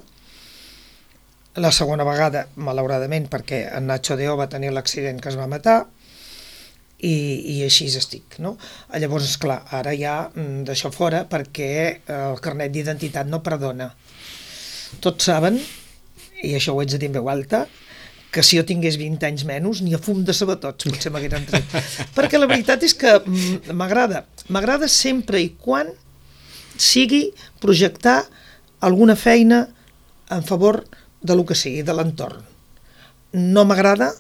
la segona vegada, malauradament, perquè en Nacho Deo va tenir l'accident que es va matar, i, i així estic, no? Llavors, esclar, ara ja d'això fora, perquè el carnet d'identitat no perdona. Tots saben, i això ho haig de dir en veu alta, que si jo tingués vint anys menys, ni a fum de sabatots potser m'hagueren tret. Perquè la veritat és que m'agrada. M'agrada sempre i quan sigui projectar alguna feina en favor de lo que sigui, de l'entorn. No m'agrada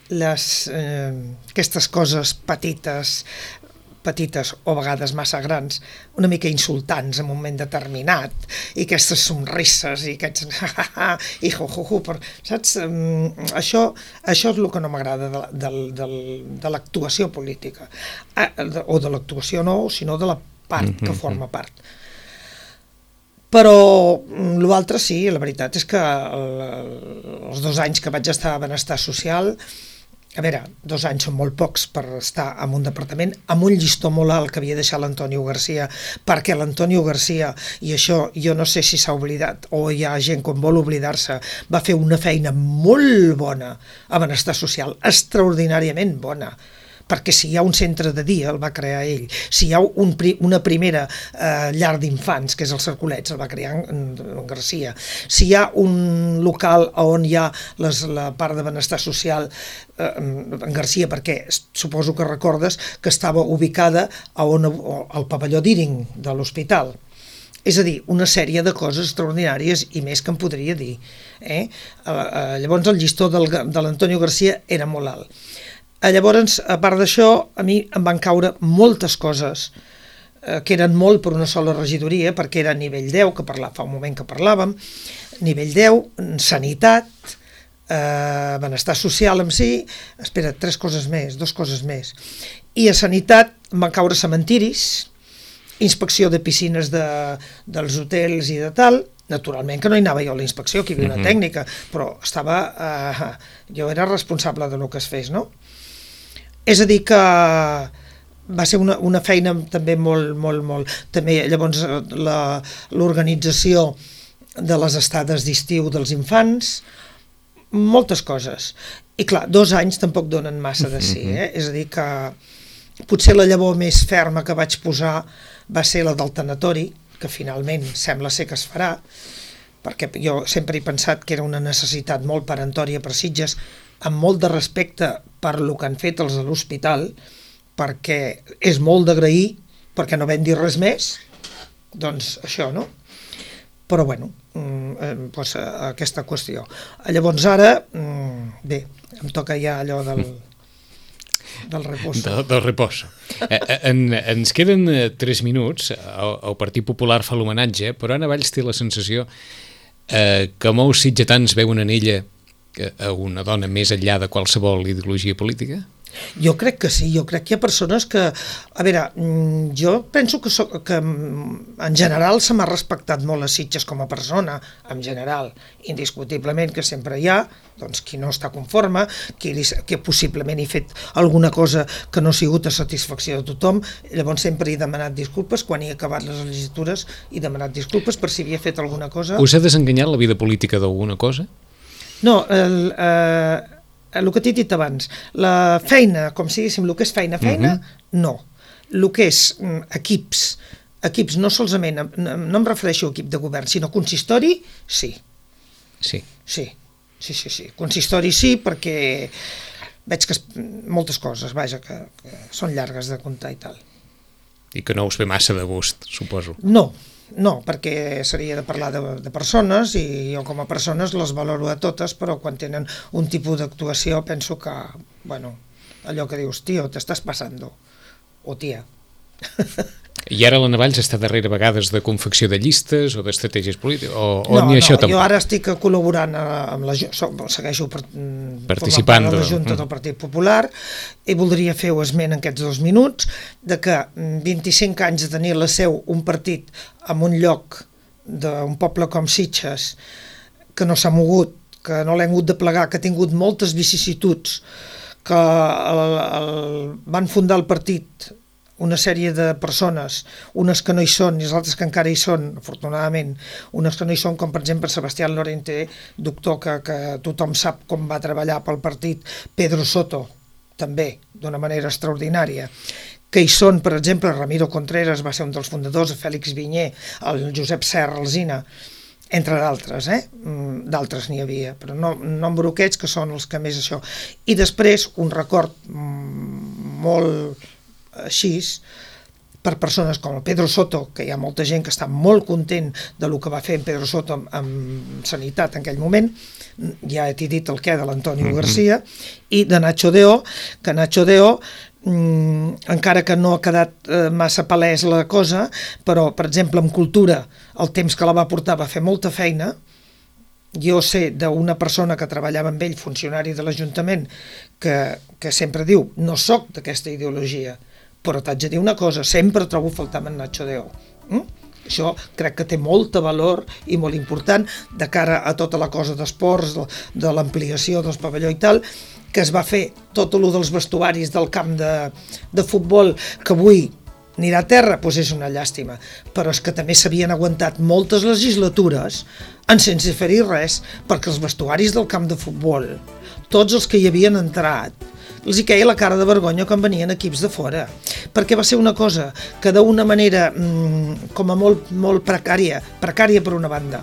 les, eh, aquestes coses petites, petites o a vegades massa grans, una mica insultants en un moment determinat, i aquestes somrisses i aquests i jo, jo, jo, per, saps? Això, això és el que no m'agrada de, de, de, de l'actuació política, o de l'actuació no, sinó de la part que forma part. Però l'altre sí, la veritat és que els dos anys que vaig estar a Benestar Social, a veure, dos anys són molt pocs per estar en un departament amb un llistó molt alt que havia deixat l'Antonio Garcia, perquè l'Antonio Garcia, i això jo no sé si s'ha oblidat o hi ha gent que vol oblidar-se, va fer una feina molt bona a Benestar Social, extraordinàriament bona, perquè si hi ha un centre de dia, el va crear ell, si hi ha un, una primera eh, llar d'infants, que és el Cercolets, el va crear en, en Garcia, si hi ha un local on hi ha les, la part de benestar social eh, en Garcia, perquè suposo que recordes que estava ubicada a on, al pavelló d'Iring de l'hospital. És a dir, una sèrie de coses extraordinàries i més que em podria dir. Eh? Eh, llavors el llistó del, de l'Antonio Garcia era molt alt. Llavors, a part d'això, a mi em van caure moltes coses eh, que eren molt per una sola regidoria, perquè era nivell deu, que parla, fa un moment que parlàvem, nivell deu, sanitat, eh, benestar social en si, espera, tres coses més, dos coses més. I a sanitat em van caure cementiris, inspecció de piscines de, dels hotels i de tal, naturalment que no hi anava jo a la inspecció, que hi havia una uh-huh. tècnica, però estava, eh, jo era responsable de lo que es fes, no? És a dir que va ser una, una feina també molt, molt, molt... També llavors l'organització de les estades d'estiu dels infants, moltes coses. I clar, dos anys tampoc donen massa de si, eh? És a dir que potser la llavor més ferma que vaig posar va ser la del tanatori, que finalment sembla ser que es farà, perquè jo sempre he pensat que era una necessitat molt peremptòria per Sitges, amb molt de respecte per lo que han fet els de l'hospital, perquè és molt d'agrair, perquè no vam dir res més, doncs això, no? Però bueno, doncs aquesta qüestió. Llavors ara, bé, em toca ja allò del... del repòs. Del, del repòs. Eh, en, ens queden tres minuts, el, el Partit Popular fa l'homenatge, però Anna Valls té la sensació eh, que molts sitgetans veuen en ella a una dona més enllà de qualsevol ideologia política? Jo crec que sí, jo crec que hi ha persones que... A veure, jo penso que, soc, que en general se m'ha respectat molt a Sitges com a persona, en general, indiscutiblement que sempre hi ha, doncs qui no està conforme, qui, que possiblement he fet alguna cosa que no ha sigut a satisfacció de tothom, llavors sempre he demanat disculpes, quan he acabat les legislatures he demanat disculpes per si havia fet alguna cosa... Us ha desenganyat la vida política d'alguna cosa? No, el... Eh, el que t'he dit abans, la feina, com si diguéssim, el que és feina, feina, uh-huh. no. El que és mm, equips, equips no solament, no, no em refereixo a equip de govern, sinó consistori, sí. Sí. Sí, sí, sí, sí. Consistori sí, perquè veig que es, moltes coses, vaja, que, que són llargues de comptar i tal. I que no us ve massa de gust, suposo. No, no, perquè seria de parlar de, de persones i jo com a persones les valoro a totes, però quan tenen un tipus d'actuació penso que, bueno, allò que dius, tio, t'estàs passando, o tia. I ara la Navalls està darrere vegades de confecció de llistes o d'estratègies polítiques, o, o no, ni no, això tampoc? Jo ara estic col·laborant amb la, segueixo per, participant de la Junta del Partit Popular, i voldria fer esment en aquests dos minuts de que vint-i-cinc anys de tenir la seu un partit en un lloc d'un poble com Sitges, que no s'ha mogut, que no l'hem hagut de plegar, que ha tingut moltes vicissituds, que el, el, van fundar el partit una sèrie de persones, unes que no hi són i les altres que encara hi són, afortunadament, unes que no hi són, com per exemple Sebastián Lorente, doctor que, que tothom sap com va treballar pel partit, Pedro Soto, també, d'una manera extraordinària, que hi són, per exemple, Ramiro Contreras va ser un dels fundadors, Fèlix Vinyer, el Josep Serra Alsina, entre d'altres, eh? D'altres n'hi havia, però no, no en broquets, que són els que més això. I després, un record molt així, per persones com el Pedro Soto, que hi ha molta gent que està molt content de lo que va fer en Pedro Soto amb, amb sanitat en aquell moment, ja t'he dit el què de l'Antonio mm-hmm. García, i de Nacho Deó, que Nacho Deó, mm, encara que no ha quedat eh, massa palès la cosa, però, per exemple, en cultura, el temps que la va portar va fer molta feina. Jo sé d'una persona que treballava amb ell, funcionari de l'Ajuntament, que, que sempre diu, no soc d'aquesta ideologia, però t'haig de dir una cosa, sempre trobo faltar en Nacho Deó. Mm? Això crec que té molta valor i molt important de cara a tota la cosa d'esports, de, de l'ampliació dels pavelló i tal, que es va fer tot el dels vestuaris del camp de, de futbol, que avui anirà a terra, doncs és una llàstima. Però és que també s'havien aguantat moltes legislatures en sense fer-hi res, perquè els vestuaris del camp de futbol, tots els que hi havien entrat, els hi queia la cara de vergonya quan venien equips de fora, perquè va ser una cosa que d'una manera mmm, com a molt, molt precària, precària per una banda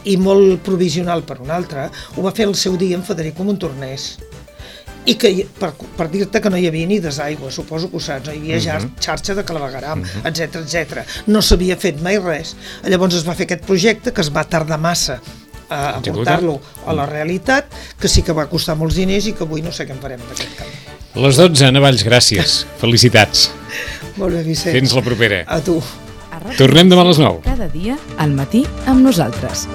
i molt provisional per una altra, ho va fer el seu dia en Federico Montornès. I que, per, per dir-te que no hi havia ni desaigua, suposo que ho saps, no hi havia ja uh-huh. xarxa de clavegueram, uh-huh. etcètera, etcètera. No s'havia fet mai res. Llavors es va fer aquest projecte que es va tardar massa a portar-lo a la realitat, que sí que va costar molts diners i que avui no sé què en farem d'aquest camp. Les dotze, Navalls, gràcies. Felicitats. Molt bé, Vicenç. Fins la propera. A tu. Tornem demà a les nou. Cada dia al matí amb nosaltres.